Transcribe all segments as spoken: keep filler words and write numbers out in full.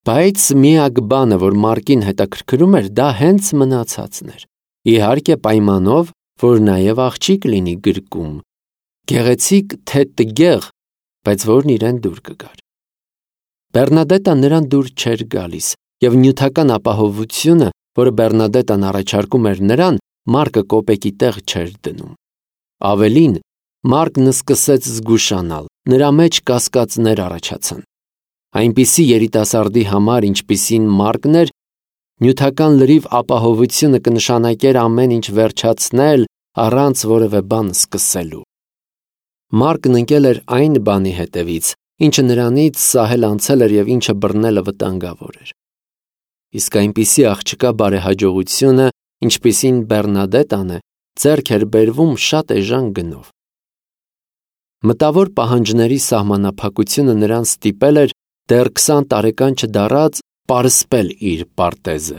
Բայց միակ բանը, որ Մարկին հետաքրքրում էր, դա հենց մնացածն էր։ Իհարկե պայմանով, որ նաև աղջիկ լինի գրկում, գեղեցիկ թե տգեղ, բայց որն իրեն դուր կգար։ Բեռնադետան նրան դուր չէր գալիս, և նյութական ապահովությունը, որը Բեռնադետան առաջարկում էր նրան, Մարկը կոպեկի տեղ չէր դնում։ Ավելին, Մարկն սկսեց զգուշանալ, նրա մեջ կասկածներ առաջացան։ Այնպիսի երիտասարդի համար, ինչպիսին Մարկն էր, նյութական լրիվ ապահովությունը կնշանակեր ամեն ինչ վերջացնել առանց որևէ բան սկսելու։ Մարկն ընկել էր այն բանի հետևից, ինչը նրանից սահել անցել էր և ինչը բռնելը վտանգավոր էր։ Իսկ այնպիսի աղջկա բարեհաջողությունը, ինչպիսին Բեռնադետան է, ձեռք էր բերվում շատ էժան գնով։ Մտավոր պահանջների սահմանափակությունը նրան ստիպել էր դեռ քսան տարեկան չդառած պարսպել իր պարտեզը,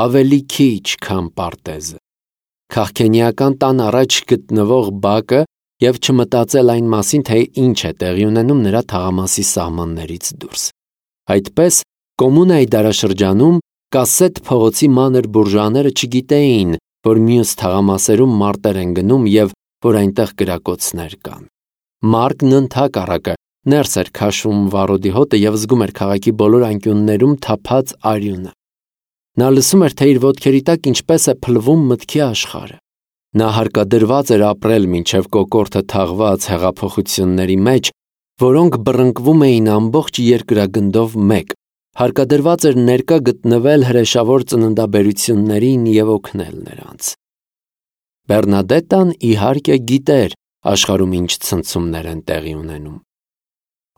ավելի քիչ, քան պարտեզը, քաղքենիական տան առաջ գտնվող բակը և չմտածել այն մասին, թե ինչ է տեղի ունենում նրա թաղամասի սահմաններից դուրս։ Այդպես, կոմունայի դարաշրջանում Կասսետ փողոցի մանր բուրժուաները չգիտեին, որ մյուս թաղամասերում մարտեր են գնում և որ այնտեղ կրակոցներ կան։ Մարկն ընդհակառակը ներս էր քաշում վառոդի հոտը և զգում էր քաղաքի բոլոր անկյուններում թափած արյունը։ Նա լսում էր, թե իր ոտքերի տակ ինչպես է փլվում մտքի աշխարհը։ Նա հարկադրված էր ապրել մինչև կոկորդը թաղված հեղափոխությունների մեջ, որոնք բռնկվում էին ամբողջ երկրագնդով մեկ, հարկադրված էր ներկա գտնվել հրեշավոր ծննդաբերություններին և օգնել նրանց։ Բեռնադետան իհարկե գիտեր աշխարհում ինչ ցնցումներ են տեղի ունենում։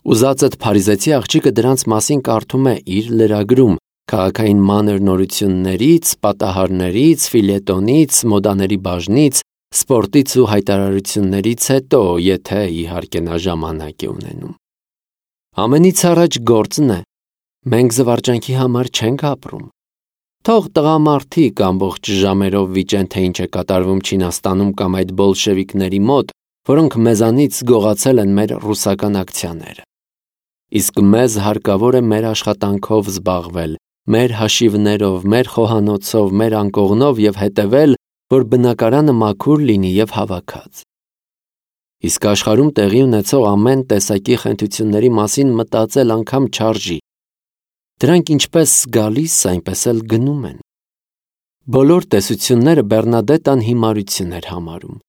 Ուզածդ փարիզեցի աղջիկը դրանց մասին կարդում է իր լրագրում, քաղաքային մանր նորություններից, պատահարներից, ֆիլետոնից, մոդաների բաժնից, սպորտից ու հայտարարություններից հետո, եթե իհարկե նա ժամանակ է ունենում։ Ամենից առաջ գործն է, մենք զվարճանքի համար չենք ապրում։ Թող տղամարդիկ ամբողջ ժամերով վիճեն, թե ինչ է կատարվում Չինաստանում կամ այդ բոլշևիկների մոտ, որոնք մեզանից գողացել են մեր ռուսական ակցիաները։ Իսկ մեզ հարկավոր է մեր աշխատանքով զբաղվել, մեր հաշիվներով, մեր խոհանոցով, մեր անկողնով և հետևել, որ բնակարանը մաքուր լինի և հավաքած։ Իսկ աշխարհում տեղի ունեցող ամեն տեսակի խենթությունների մասին մտածել անգամ չարժի։ Դրանք ինչպես գալիս, այնպես էլ գնում են։ Բոլոր տեսությունները Բեռնադետան հիմարություն էր համարում։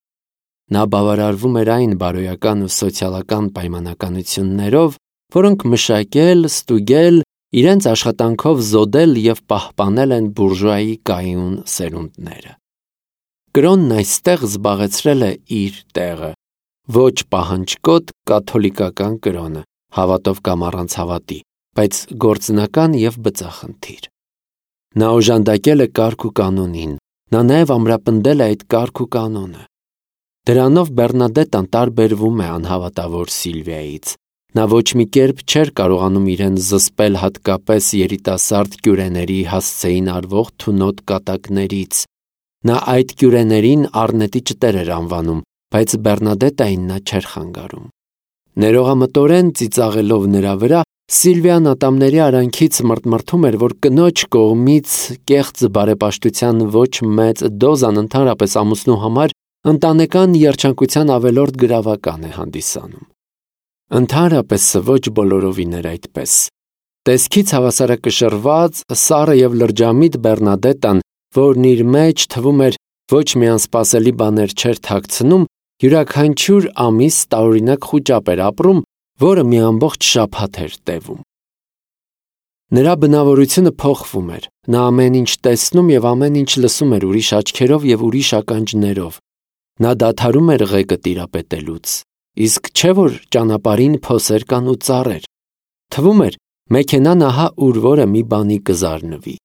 Նա բավարարվում էր այն բարոյական ու սոցիալական պայմանականություններով, որոնք մշակել, ստուգել, իրենց աշխատանքով զոդել և պահպանել են բուրժուայի կայուն սերունդները։ Կրոնն այստեղ զբաղեցրել է իր տեղը, ոչ պահանջկոտ կաթոլիկական կրոնը, հավատով կամ առանց հավատի, բայց գործնական և բծախնդիր։ Նա օժանդակել է կարգ ու կանոնին, նա նաև ամրապնդել է այդ կարգ ու կանոնը։ Դրանով Բեռնադետան տարբերվում է անհավատավոր Սիլվիայից։ Նա ոչ մի կերպ չէր կարողանում իրեն զսպել հատկապես երիտասարդ կյուրեների հասցեին արվող թունոտ կատակներից։ Նա այդ կյուրեներին առնետի ճտեր էր անվանում, բայց Բեռնադետային նա չէր խանգարում։ Ներողամտորեն ծիծաղելով նրա վրա, Սիլվիան ատամների արանքից մրթմրթում էր, որ կնոջ կողմից կեղծ բարեպաշտության ոչ մեծ դոզան ընդհանրապես ամուսնու համար ընտանեկան երջանկության ավելորդ գրավական է հանդիսանում։ Ընդհանրապես ոչ բոլորովին էր այդպես։ Տեսքից հավասարակշռված, սառը և լրջամիտ Բեռնադետան, որն իր մեջ թվում էր ոչ մի անսպասելի բաներ չէր թաքցնում, յուրաքանչյուր ամիս տարօրինակ խուճապ էր ապրում, որը մի ամբողջ շաբաթ էր տևում։ Նրա բնավորությունը փոխվում էր, նա ամեն ինչ տեսնում և ամեն ինչ լսում էր ուրիշ աչքերով և ուրիշ ականջներով։ Նա դադարում էր ղեկը տիրապետելուց, իսկ չէ որ ճանապարհին փոսեր կան ու ծառեր։ Թվում էր, մեքենան ահա ուր որը մի բանի կզարնվի։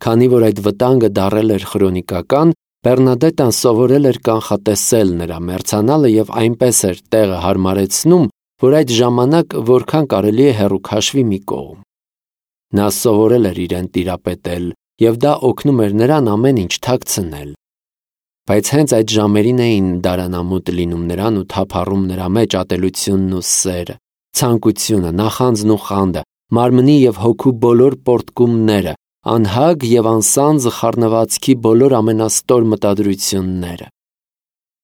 Քանի որ այդ վտանգը դառել էր քրոնիկական, Բեռնադետան սովորել էր կանխատեսել նրա մեռցանալը և այնպես էր տեղը հարմարեցնում, որ այդ ժամանակ որքան կարելի է հեռու քաշվի մի կողմ։ Նա սովորել էր իրեն տիրապետել, և դա օգնում էր նրան ամեն ինչ թաքցնել։ Բայց հենց այդ ժամերին էին դարանամուտ լինում նրան ու թափառում նրա մեջ ատելությունն ու սերը, ցանկությունը, նախանձն ու խանդը, մարմնի և հոգու բոլոր պորտկումները, անհագ և անսանձ խառնվածքի բոլոր ամենաստոր մտադրությունները։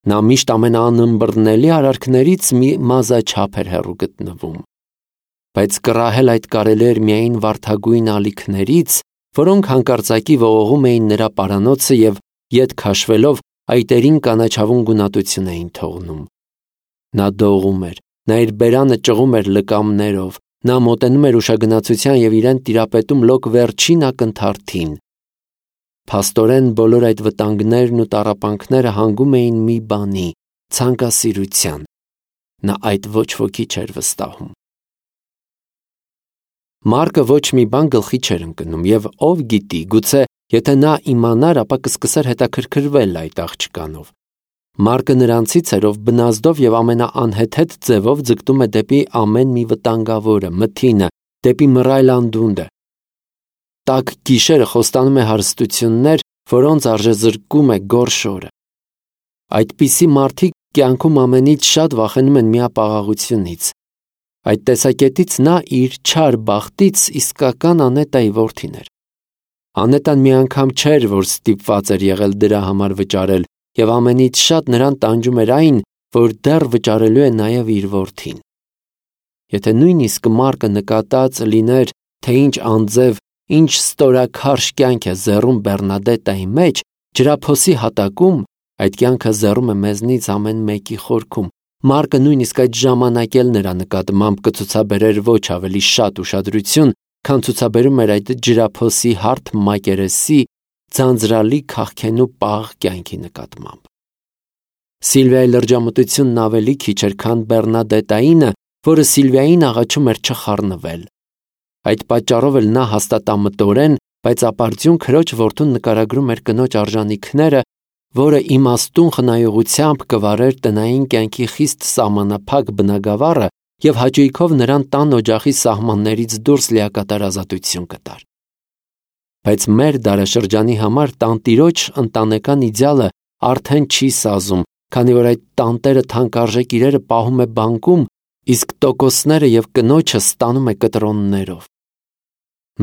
Նա միշտ ամենաանըմբռնելի արարքներից մի մազաչափ էր հեռու գտնվում։ Բայց կռահել այդ կարելի էր միայն վարդագույն ալիքներից, որոնք հանկարծակի ողողում էին նրա պարանոցը և ետ քաշվելով այտերին կանաչավուն գունատություն էին թողնում։ Նա դողում էր, նա իր բերանը ճղում էր լկամներով, նա մոտենում էր ուշագնացության և իրեն տիրապետում լոկ վերջին ակնթարթին։ Փաստորեն բոլոր այդ վտանգներն ու տառապանքները հանգում էին մի բանի՝ ցանկասիրության։ Նա այդ ոչ ոքի չէր վստահում։ Մարկը ոչ մի բան գլխի չէր ընկնում, և ով գիտի, գուցե եթե նա իմանար, ապա կսկսեր հետաքրքրվել այդ աղջկանով։ Մարկը նրանցից էր, ով բնազդով և ամենաանհեթեթ ձևով ձգտում է դեպի ամեն մի վտանգավորը, մթինը, դեպի մռայլ անդունդը։ Տաք գիշերը խոստանում է հարստություններ, որոնց արժե զրկում է գորշ օրը։ Այդպիսի մարդիկ կյանքում ամենից շատ վախենում են միապաղաղությունից։ Այդ տեսակետից նա իր չար բախտից իսկական Անետայի որդին էր։ Անետան մի անգամ չէր, որ ստիպված էր եղել դրա համար վճարել, և ամենից շատ նրան տանջում էր այն, որ դեռ վճարելու է նաև իր որդին։ Եթե նույնիսկ Մարկը նկատած լիներ, թե ինչ անձև, ինչ ստորաքարշ կյանք է զեռում Բեռնադետայի մեջ, ջրափոսի հատակում, այդ կյանքը զեռում է մեզնից ամեն մեկի խորքում, Մարկը նույնիսկ այդ ժամանակ էլ նրա նկատմամբ կցուցաբերեր ոչ ավելի շատ ուշադրություն, քան ցուցաբերում էր այդ ջրափոսի հարթ մակերեսի, ձանձրալի քաղքենու պաղ կյանքի նկատմամբ։ Սիլվիայի լրջամտությունն ավելի քիչ էր, քան Բեռնադետայինը, որը Սիլվիային աղաչում էր չխառնվել։ Այդ պատճառով էլ նա հաստատամտորեն, բայց ապարդյուն քրոջ որդուն նկարագրում էր կնոջ արժանինքները, որը իմաստուն խնայողությամբ կվարեր տնային կյանքի խիստ սահմանափակ բնագավառը և հաճույքով նրան տան օջախի սահմաններից դուրս լիակատար ազատություն կտար։ Բայց մեր դարաշրջանի համար տանտիրոջ ընտանեկան իդեալը արդեն չի սազում, քանի որ այդ տանտերը թանկարժեք իրերը պահում է բանկում, իսկ տոկոսները և կնոջը ստանում է կտրոններով։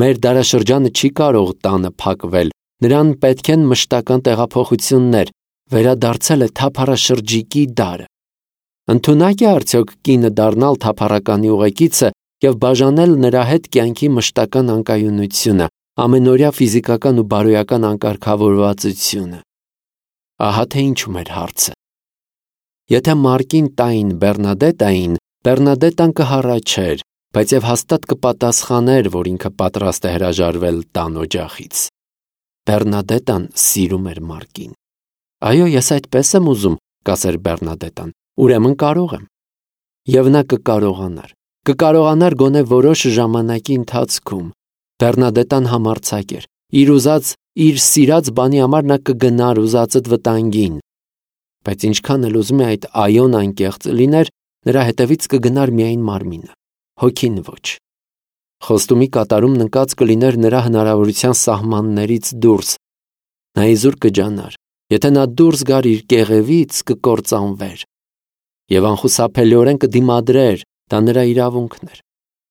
Մեր դարաշրջանը չի կարող տանը փակվել, նրան պետք են մշտական տեղափոխություններ, վերադարձել է թափառաշրջիկի դարը։ Ընդունակ է արդյոք կինը դառնալ թափառականի ուղեկիցը և բաժանել նրա հետ կյանքի մշտական անկայունությունը, ամենօրյա ֆիզիկական ու բարոյական անկարգավորվածությունը։ Ահա թե ինչու մեր հարցը։ Եթե Մարկին տային Բեռնադետային, Բեռնադետան կհառաչեր, բայց և հաստատ կպատասխաներ, որ ինքը պատրաստ է հրաժարվել տան օջախից։ Բեռնադետան սիրում էր Մարկին։ Այո, ես այդպես եմ ուզում, կասեր Բեռնադետան, ուրեմն կարող եմ։ Եվ նա կկարողանար, կկարողանար գոնե որոշ ժամանակի ընթացքում։ Բեռնադետան համարձակ էր, իր ուզած, իր սիրած բանի համար նա կգնար ուզածդ վտանգին։ Բայց ինչքան էլ ուզում է այդ այոն անկեղծ լիներ, նրա հետևից կգնար միայն մարմինը, հոգին ոչ։ Խոստումի կատարումն ընկած կլիներ նրա հնարավորության սահմաններից դուրս։ Նա իզուր կջանար, եթե նա դուրս գար իր կեղևից, կկործանվեր։ Եվ անխուսափելիորեն կդիմադրեր, դա նրա իրավունքն էր։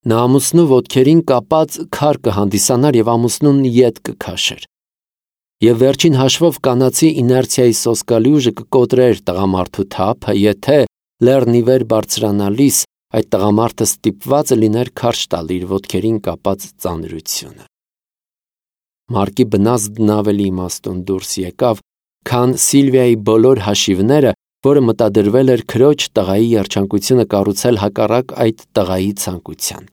Նա ամուսնու ոտքերին կապած քար կհանդիսանար և ամուսնուն ետ կքաշեր։ Եվ վերջին հաշվով կանացի իներցիայի սոսկալի ուժը կկոտրեր տղամարդու թափը, եթե լեռնիվեր բարձրանալիս այդ տղամարդը ստիպված լիներ քարշ տալ իր ոտքերին կապած ծանրությունը։ Մարկի բնազդն ավելի իմաստուն դուրս եկավ, քան Սիլվիայի բոլոր հաշիվները, որը մտադրվել էր քրոջ տղայի երջանկությունը կառուցել հակառակ այդ տղայի ցանկության։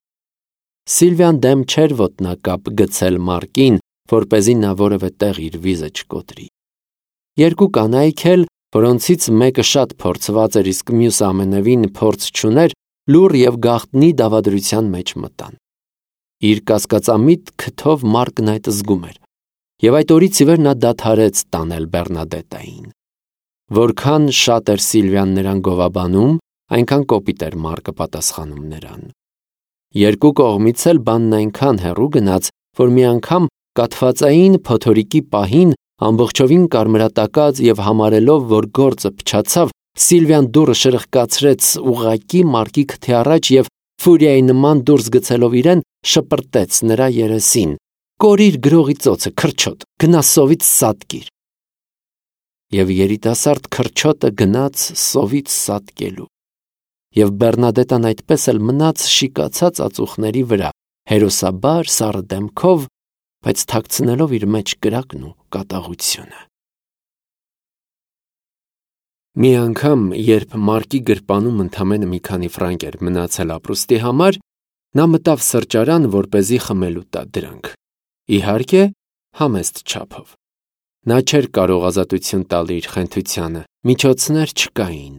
Սիլվիան դեմ չէր ոտնակապ գցել Մարկին, որպեսզի նա որևէ տեղ իր վիզը չկոտրի։ Երկու կանայք էլ, որոնցից մեկը շատ փորձված էր, իսկ մյուսը ամենևին փորձ չուներ, լուռ և գաղտնի դավադրության մեջ մտան։ Իր կասկածամիտ քթով Մարկն այդ զգում էր, և այդ օրից ի վեր նա դադարեց տանել Բեռնադետային։ Որքան շատ էր Սիլվիան նրան գովաբանում, այնքան կոպիտ էր Մարկը պատասխանում նրան։ Երկու կողմից էլ բանն այնքան հեռու գնաց, որ մի անգամ կաթվածային փոթորիկի պահին ամբողջովին կարմրատակած և համարելով, որ գործը փչացավ, Սիլվիան դուռը շրխկացրեց ուղղակի Մարկի քթի առաջ և ֆուրիայի նման դուրս գցելով իրեն, շպրտեց նրա երեսին. «Կորիր գրողի ծոցը, քրչոտ, գնա սովից սատկիր»։ Եվ երիտասարդ քրչոտը գնաց սովից սատկելու։ Եվ Բեռնադետան այդպես էլ մնաց շիկացած ածուխների վրա, հերոսաբար սառը դեմքով, բայց թաքցնելով իր մեջ կրակն ու կատաղությունը։ Մի անգամ, երբ Մարկի գրպանում ընդամենը մի քանի ֆրանկ էր մնացել ապրուստի համար, նա մտավ սրճարան, որպեսզի խմելու տա դրանք։ Իհարկե, համեստ չափով։ Նա չէր կարող ազատություն տալ իր խենթությանը, միջոցներ չկային։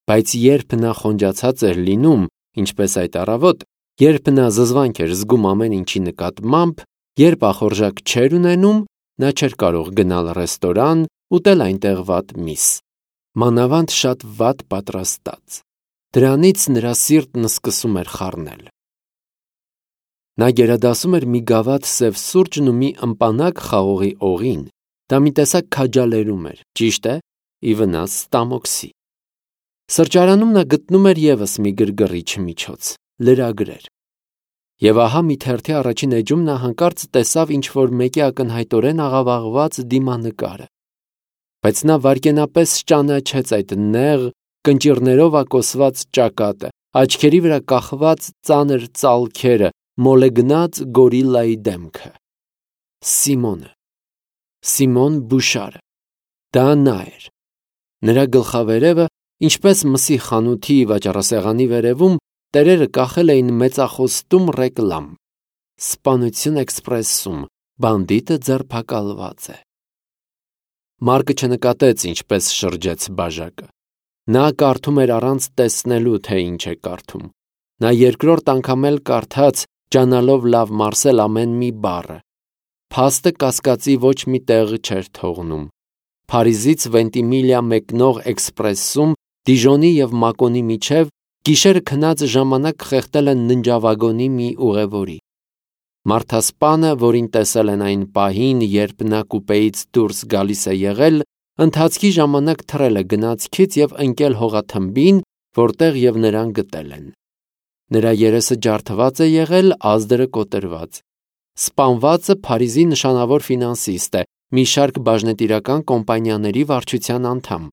Բայց երբ նա խոնջացած էր լինում, ինչպես այդ առավոտ, երբ նա զզվանք էր զգում ամեն ինչի նկատմամբ, երբ ախորժակ չէր ունենում, նա չէր կարող գնալ ռեստորան, ուտել այնտեղ վատ միս, մանավանդ շատ վատ պատրաստած։ Դրանից նրա սիրտն սկսում էր խառնել։ Նա գերադասում էր մի գավաթ սև սուրճն ու մի ըմպանակ խաղողի օղին։ Դա մի տեսակ քաջալերում էր, ճիշտ է, ի վնաս ստամոքսի։ Սրճարանում նա գտնում էր ևս մի գրգռիչ միջոց՝ լրագրեր։ Եվ ահա մի թերթի առաջին էջում նա հանկարծ տեսավ ինչ-որ մեկի ակնհայտորեն աղավաղված դիմանկարը։ Բայց նա վայրկենապես ճանաչեց այդ նեղ, կնճիռներով ակոսված ճակատը, աչքերի վրա կախված ծանր ծալքերը, մոլեգնած գորիլայի դեմքը։ Սիմոնը։ Սիմոն Բուշարը։ Դա նա էր։ Նրա գլխավերևը, ինչպես մսի խանութի վաճառասեղանի վերևում, տերերը կախել էին մեծախոստում ռեկլամ. Սպանություն էքսպրեսում, բանդիտը ձերբակալված է։ Մարկը չնկատեց, ինչպես շրջեց բաժակը։ Նա կարդում էր առանց տեսնելու, թե ինչ է կարդում։ Նա երկրորդ անգամ էլ կարդաց, ջանալով լավ մարսել ամեն մի բառը։ Փաստը կասկածի ոչ մի տեղ չէր թողնում։ Փարիզից Վենտիմիլիա մեկնող էքսպրեսում Դիժոնի և Մակոնի միջև գիշերը քնած ժամանակ խեղդել են ննջավագոնի մի ուղևորի։ Մարդասպանը, որին տեսել են այն պահին, երբ նա կուպեից դուրս գալիս է եղել, ընթացքի ժամանակ թռել է գնացքից և ընկել հողաթմբին, որտեղ և նրան գտել են։ Նրա երեսը ջարդված է եղել, ազդրը կոտրված։ Սպանվածը Փարիզի նշանավոր ֆինանսիստ է, մի շարք բաժնետիրական կոմպանիաների վարչության անդամ։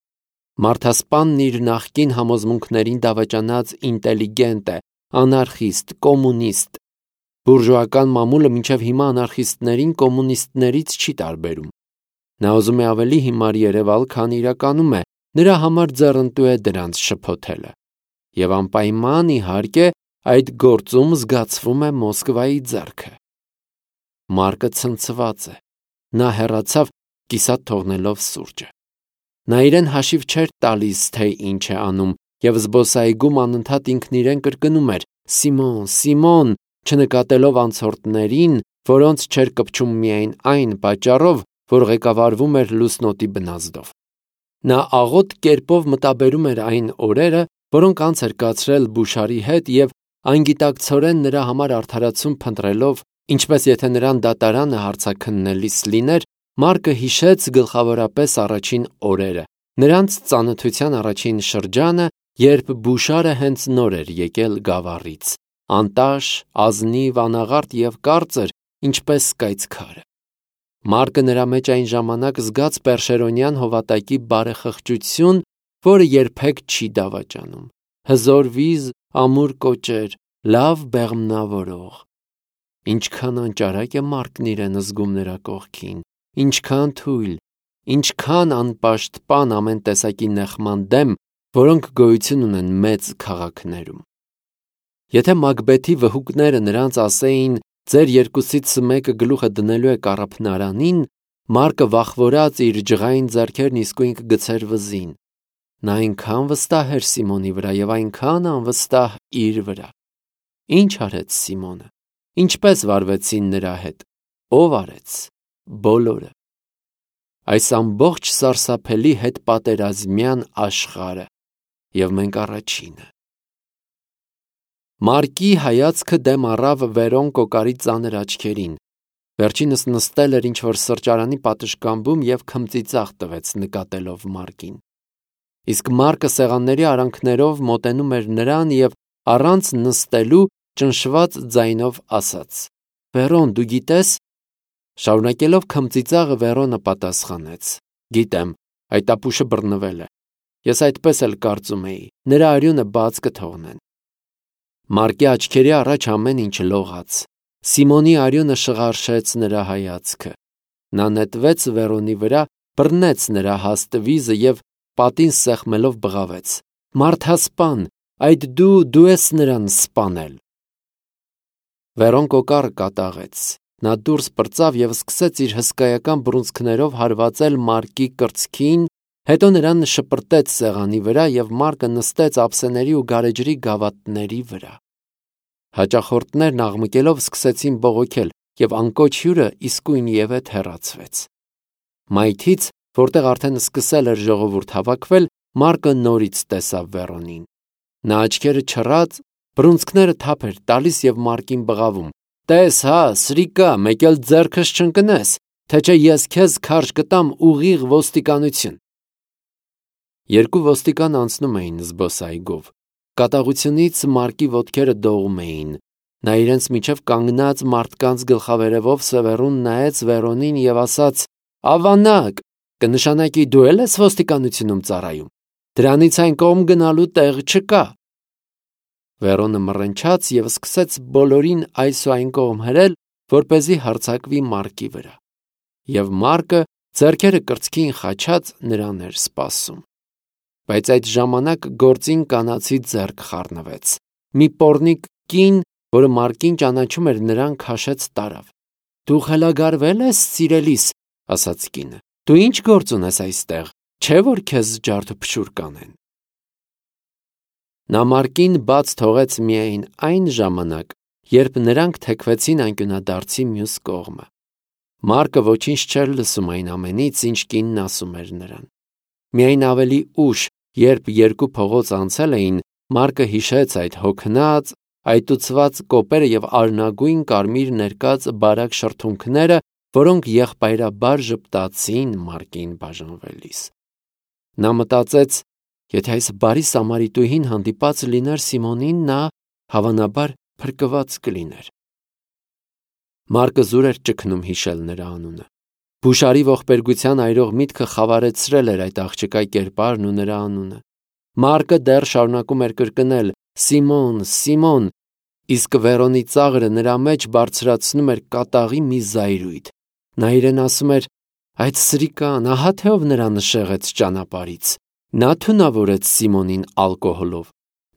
Մարդասպանն իր նախկին համոզմունքներին դավաճանած ինտելիգենտ է, անարխիստ, կոմունիստ։ Բուրժուական մամուլը մինչև հիմա անարխիստներին կոմունիստներից չի տարբերում։ Նա ուզում է ավելի հիմար երևալ, քան իրականում է, նրա համար ձեռնտու է դրանց շփոթելը։ Եվ անպայման, իհարկե, այդ գործում զգացվում է Մոսկվայի ձեռքը։ Մարկը ցնցված է։ Նա հեռացավ, կիսատ թողնելով սուրճը։ Նա իրեն հաշիվ չէր տալիս, թե ինչ է անում, և զբոսայգում անընդհատ ինքն իրեն կրկնում էր. «Սիմոն, Սիմոն», չնկատելով անցորդներին, որոնց չէր կպչում միայն այն պատճառով, որ ղեկավարվում էր լուսնոտի բնազդով։ Նա աղոտ կերպով մտաբերում էր այն օրերը, որոնք անց էր կացրել Բուշարի հետ և անգիտակցորեն նրա համար արդարացում փնտրելով, ինչպես եթե նրան դատարանը հարցաքննելիս լիներ, Մարկը հիշեց գլխավորապես առաջին օրերը, նրանց ծանոթության առաջին շրջանը, երբ Բուշարը հենց նոր էր եկել Գավառից, անտաշ, ազնիվ, անաղարտ և կարծր, ինչպես կայծքարը։ Մարկը նրա մեջ այն ժամանակ զգաց Պերշերոնյան հովատակի բարեխղճություն, որը երբեք չի դավաճանում, հզոր վիզ, ամուր կոճեր, լավ բեղմնավորող։ Ինչքան անճարակ է Մարկն իրեն զգում նրա կողքին, ինչքան թույլ, ինչքան անպաշտպան ամեն տեսակի նեղման դեմ, որոնք գոյություն ունեն մեծ քաղաքներում։ Եթե Մակբեթի վհուկները նրանց ասեին, ձեր երկուսից մեկը գլուխը դնելու է կառափնարանին, Մարկը վախվորած իր ջղային ձեռքերն իսկույն կգցեր վզին։ Նա այնքան վստահ էր Սիմոնի վրա և այնքան անվստահ իր վրա։ Ինչ արեց Սիմոնը։ Ինչպես վարվեցին նրա հետ։ Ո՞վ արեց։ Բոլորը։ Այս ամբողջ սարսափելի հետպատերազմյան աշխարհը։ Եվ մենք առաջինը։ Մարկի հայացքը դեմ առավ Վերոն կոկարի ծանր աչքերին։ Վերջինս նստել էր ինչ-որ սրճարանի պատշգամբում և քմծիծաղ տվեց նկատելով Մարկին։ Իսկ Մարկը սեղանների արանքներով մոտենում էր նրան և առանց նստելու ճնշված ձայնով ասաց. «Վերոն, դու գիտես»։ Շարունակելով քմծիծաղը Վերոնը պատասխանեց. «Գիտեմ, այդ ապուշը բռնվել է։ Ես այդպես էլ կարծում էի, նրա արյունը բաց կթողնեն»։ Մարկի աչքերի առաջ ամեն ինչ լողաց։ Սիմոնի արյունը շղարշեց նրա հայացքը։ Նա նետվեց Վերոնի վրա, բռնեց նրա հաստ վիզը և պատին սեղմելով բղավեց. «Մարդասպան, այդ դու, դու ես նրան սպանել»։ Վերոն կոկառը կատաղեց։ Նա դուրս պրծավ և սկսեց իր հսկայական բռունցքներով հարվածել Մարկի կրծքին, հետո նրան շպրտեց սեղանի վրա և Մարկը նստեց ափսեների ու գարեջրի գավաթների վրա։ Հաճախորդներն աղմկելով սկսեցին բողոքել, և անկոչ հյուրը իսկույնևեթ հեռացվեց։ Մայթից, որտեղ արդեն սկսել էր ժողովուրդ հավաքվել, Մարկը նորից տեսավ Վերոնին։ Նա աչքերը չռած, բռունցքները թափ էր տալիս և Մարկին բղավում. «Տես հա, սրիկա, մեկ էլ ձեռքս չընկնես, թե չէ ես քեզ քարշ կտամ ուղիղ ոստիկանություն»։ Երկու ոստիկան անցնում էին զբոսայգով։ Կատաղությունից Մարկի ոտքերը դողում էին։ Նա իրենց միջև կանգնած մարդկանց գլխավերևով սևեռուն նայեց Վերոնին և ասաց. «Ավանակ, կնշանակի դու էլ ես ոստիկանությունում ծառայում։ Դրանից այն կողմ գնալու տեղ չկա»։ Վերոնը մռնչաց և սկսեց բոլորին այս ու այն կողմ հրել, որպեսզի հարձակվի Մարկի վրա։ Եվ Մարկը, ձեռքերը կրծքին խաչած, նրան էր սպասում։ Բայց այդ ժամանակ գործին կանացի ձեռք խառնվեց։ Մի պոռնիկ կին, որը Մարկին ճանաչում էր, նրան քաշեց տարավ։ «Դու խելագարվե՞լ ես, սիրելիս», ասաց կինը։ «Դու ի՞նչ գործ ունես այստեղ, չէ՞ որ քեզ ջարդուփշուր կանեն»։ Նա Մարկին բաց թողեց միայն այն ժամանակ, երբ նրանք թեքվեցին անկյունադարձի մյուս կողմը։ Մարկը ոչինչ չէր լսում այն ամենից, ինչ կինն ասում էր նրան։ Միայն ավելի ուշ, երբ երկու փողոց անցել էին, Մարկը հիշեց այդ հոգնած, այտուցված կոպերը և արնագույն կարմիր ներկած բարակ շրթունքները, որոնք եղբայրաբար ժպտացին Մարկին բաժանվելիս։ Նա մտածեց, եթե այս բարի Սամարիտուհին հանդիպած լիներ Սիմոնին, նա, հավանաբար, փրկված կլիներ։ Մարկը զուր էր ճգնում հիշել նրա անունը։ Բուշարի ողբերգության այրող միտքը խավարեցրել էր այդ աղջկա կերպարն ու նրա անունը։ Մարկը դեռ շարունակում էր կրկնել. «Սիմոն, Սիմոն», իսկ Վերոնի ծաղրը նրա մեջ բարձրացնում էր կատաղի մի զայրույթ։ Նա իրեն ասում էր. «Այդ սրիկան, ահա թե ով նրան նշեղեց ճանապարհից»։ Նա թունավորեց Սիմոնին ալկոհոլով։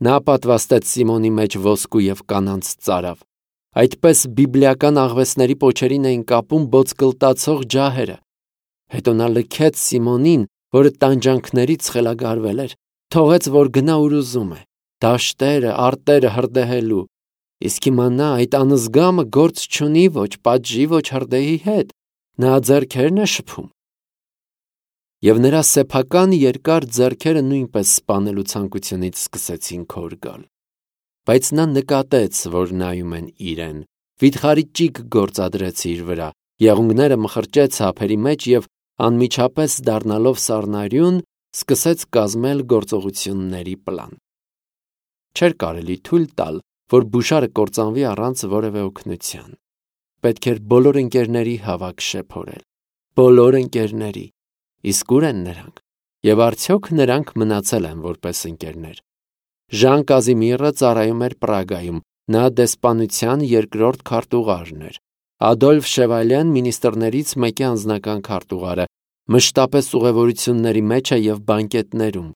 Նա պատվաստեց Սիմոնի մեջ ոսկու և կանանց ծարավ։ Այդպես բիբլիական աղվեսների պոչերին էին կապում բոցկլտացող ջահերը։ Հետո նա լքեց Սիմոնին, որը տանջանքներից խելագարվել էր, թողեց, որ գնա ուր ուզում է, դաշտերը, արտերը հրդեհելու։ Իսկ հիմա նա, այդ անզգամը, գործ չունի ոչ պատժի, ոչ հրդեհի հետ։ Նա ձեռքերն է շփում։ Եվ նրա սեփական երկար ձեռքերը նույնպես սպանելու ցանկությունից սկսեցին քոր գալ։ Բայց նա նկատեց, որ նայում են իրեն, վիթխարի ճիգ գործադրեց իր վրա, եղունգները մխրճեց ափերի մեջ և անմիջապես դառնալով սառնարյուն, սկսեց կազմել գործողությունների պլան։ Չէր կարելի թույլ տալ, որ Բուշարը կործանվի առանց որևէ օգնության։ Պետք էր բոլոր ընկերների հավաք շեփորել։ Բոլոր ընկերների։ Իսկ ուր են նրանք։ Եվ արդյոք նրանք մնացել են որպես ընկերներ։ Ժան Կազիմիրը ծառայում էր Պրագայում, նա դեսպանության երկրորդ քարտուղարն էր։ Ադոլֆ Շևալյան մինիստրներից մեկի անձնական քարտուղարը, մշտապես ուղևորությունների մեջ է և բանկետներում։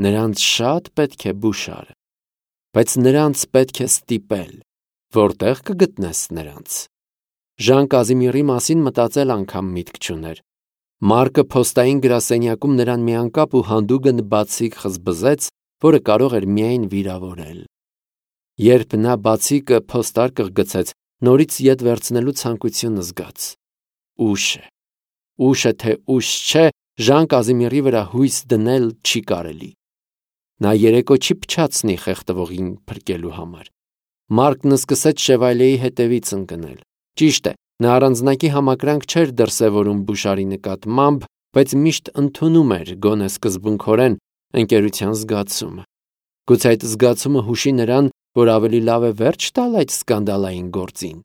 Նրանց շատ պետք է Բուշարը։ Բայց նրանց պետք է ստիպել։ Որտե՞ղ կգտնես նրանց։ Ժան Կազիմիրի մասին մտածել անգամ միտք չուներ։ Մարկը փոստային գրասենյակում նրան մի անկապ ու հանդուգն բացիկ խզբզեց, որը կարող էր միայն վիրավորել։ Երբ նա բացիկը փոստարկղ գցեց, նորից ետ վերցնելու ցանկություն զգաց։ Ուշ է։ Ուշը թե ուշ չէ, Ժան Կազիմիրի վրա հույս դնել չի կարելի։ Նա երեկո չի փչացնի խեղդվողին փրկելու համար։ Մարկն սկսեց Շևալիեի հետևից ընկնել։ Ճիշտ է, նա առանձնակի համակրանք չէր դրսևորում Բուշարի նկատմամբ, բայց միշտ ընդունում էր, գոնե սկզբունքորեն, ընկերության զգացումը։ Գուցե այդ զգացումը հուշի նրան, որ ավելի լավ է վերջ տալ այդ սկանդալային գործին։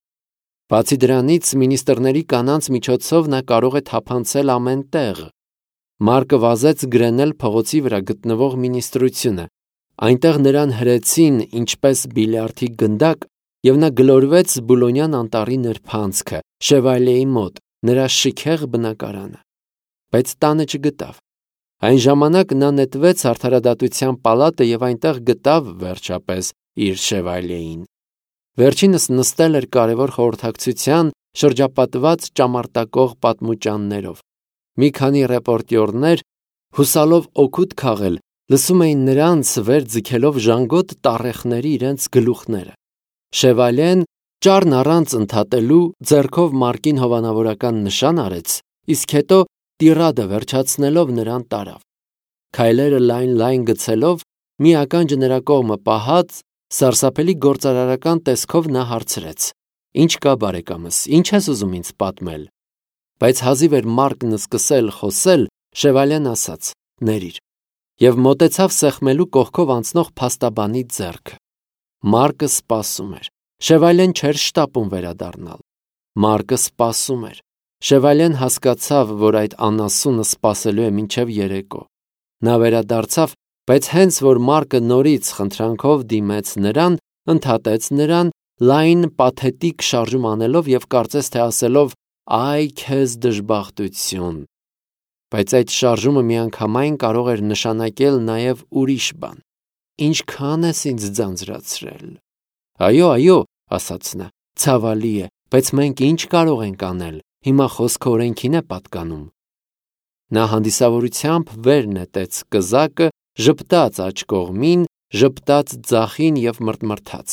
Բացի դրանից, մինիստրների կանանց միջոցով նա կարող է թափանցել ամեն տեղ։ Մարկը վազեց գրենել փողոցի վրա գտնվող մինիստրությունը։ Այնտեղ նրան հրեցին ինչպես բիլիարդի գնդակ, և նա գլորվեց Բուլոնյան անտառի նրբանցքը, Շևալիեի մոտ, նրա շքեղ բնակարանը։ Բայց տանը չգտավ։ Այն ժամանակ նա նետվեց արդարադատության պալատը և այնտեղ գտավ, վերջապես, իր Շևալիեին։ Վերջինս նստել էր կարևոր խորհրդակցության, շրջապատված ճամարտակող պատմուճաններով։ Մի քանի ռեպորտյորներ, հուսալով օգուտ քաղել, լսում էին նրանց, վեր ձգելով ժանգոտ տառեխների իրենց գլուխները։ Շևալիեն, ճառն առանց ընդհատելու, ձեռքով Մարկին հովանավորական նշան արեց, իսկ հետո տիրադը վերջացնելով նրան տարավ։ Քայլերը լայն-լայն գցելով, մի ականջը նրա կողմը պահած, սարսափելի գործարարական տեսքով նա հարցրեց. «Ինչ կա, բարեկամս, ինչ ես ուզում ինձ պատմել»։ Բայց հազիվ էր Մարկն սկսել խոսել, Շևալիեն ասաց. «Ներիր» և մոտեցավ սեղմելու կողքով անցնող փաստաբանի ձեռքը։ Մարկը սպասում էր։ Շևալիեն չէր շտապում վերադառնալ։ Մարկը սպասում էր։ Շևալիեն հասկացավ, որ այդ անասունը սպասելու է մինչև երեկո։ Նա վերադարձավ, բայց հենց որ Մարկը նորից խնդրանքով դիմեց նրան, ընդհատեց նրան, լայն պաթետիկ շարժում անելով և կարծես թե ասելով. «Այ քեզ դժբախտություն»։ Բայց այդ շարժումը միանգամայն կարող էր նշանակել նաև ուրիշ բան։ «Ինչքա՞ն ես ինձ ձանձրացրել»։ «Այո, այո», ասաց նա, «ցավալի է, բայց մենք ինչ կարող ենք անել, հիմա խոսքը օրենքին է պատկանում»։ Նա հանդիսավորությամբ վեր նետեց կզակը, ժպտաց աջ կողմին, ժպտաց ձախին և մռթմռթաց.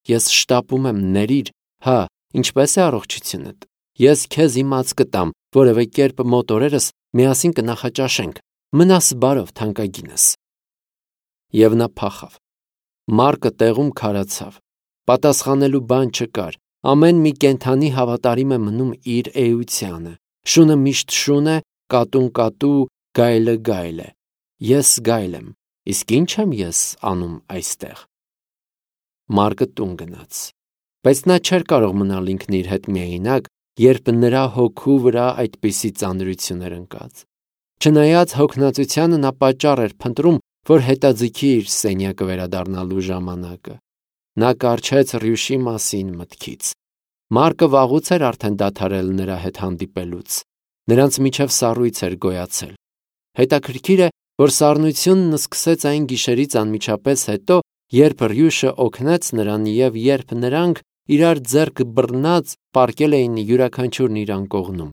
«Ես շտապում եմ, ներիր, հա, ինչպե՞ս է առողջությունդ։ Ես քեզ իմաց կտամ, որևէ կերպ մոտ օրերս միասին կնախաճաշենք, մնաս բարով, թանկագինս»։ Եվ նա փախավ։ Մարկը տեղում քարացավ։ Պատասխանելու բան չկար։ Ամեն մի կենդանի հավատարիմ է մնում իր էությանը։ Շունը միշտ շուն է, կատուն կատու, գայլը գայլ է։ Ես գայլ եմ, իսկ ի՞նչ եմ ես անում այստեղ։ Մարկը տուն գնաց։ Բայց նա չէր կարող մնալ ինքն իր հետ միայնակ, երբ նրա հոգու վրա այդպիսի ծանրություն էր ընկած։ Չնայած հոգնածությանը, նա պատճառ էր փնտրում, որ հետաձգի իր սենյակը վերադառնալու ժամանակը։ Նա կառչեց Ռյուշի մասին մտքից։ Մարկը վաղուց էր արդեն դադարել նրա հետ հանդիպելուց։ Նրանց միջև սառույց էր գոյացել։ Հետաքրքիր է, որ սառնությունն սկսեց այն գիշերից անմիջապես հետո, երբ Ռյուշը օգնեց նրան և երբ նրանք, իրար ձեռք բռնած, պառկել էին յուրաքանչյուրն իր անկողնում։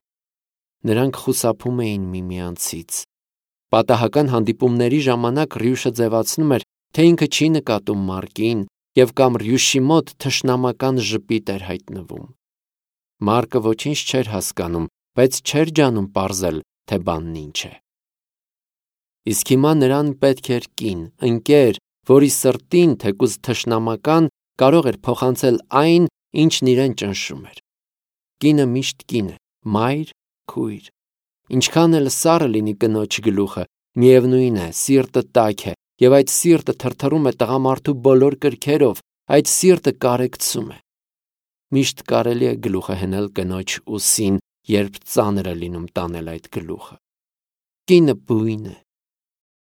Նրանք խուսափում էին միմյանցից։ Պատահական հանդիպումների ժամանակ Ռյուշը ձևացնում էր, թե ինքը չի նկատում Մարկին, և կամ Ռյուշի մոտ թշնամական ժպիտ էր հայտնվում։ Մարկը ոչինչ չէր հասկանում, բայց չէր ջանում պարզել, թե բանն ինչ է։ Իսկ հիմա նրան պետք էր կին, ընկեր, որի սրտին, թեկուզ թշնամական, կարող էր փոխանցել այն, ինչն իրեն ճնշում էր։ Կինը միշտ կին է, մայր, քույր։ Ինչքան էլ սառը լինի կնոջ գլուխը, միևնույն է, սիրտը տաք է, և այդ սիրտը թրթռում է տղամարդու բոլոր կրքերով, այդ սիրտը կարեկցում է։ Միշտ կարելի է գլուխը հնել կնոջ ուսին, երբ ծանր է լինում տանել այդ գլուխը։ Կինը բույն է,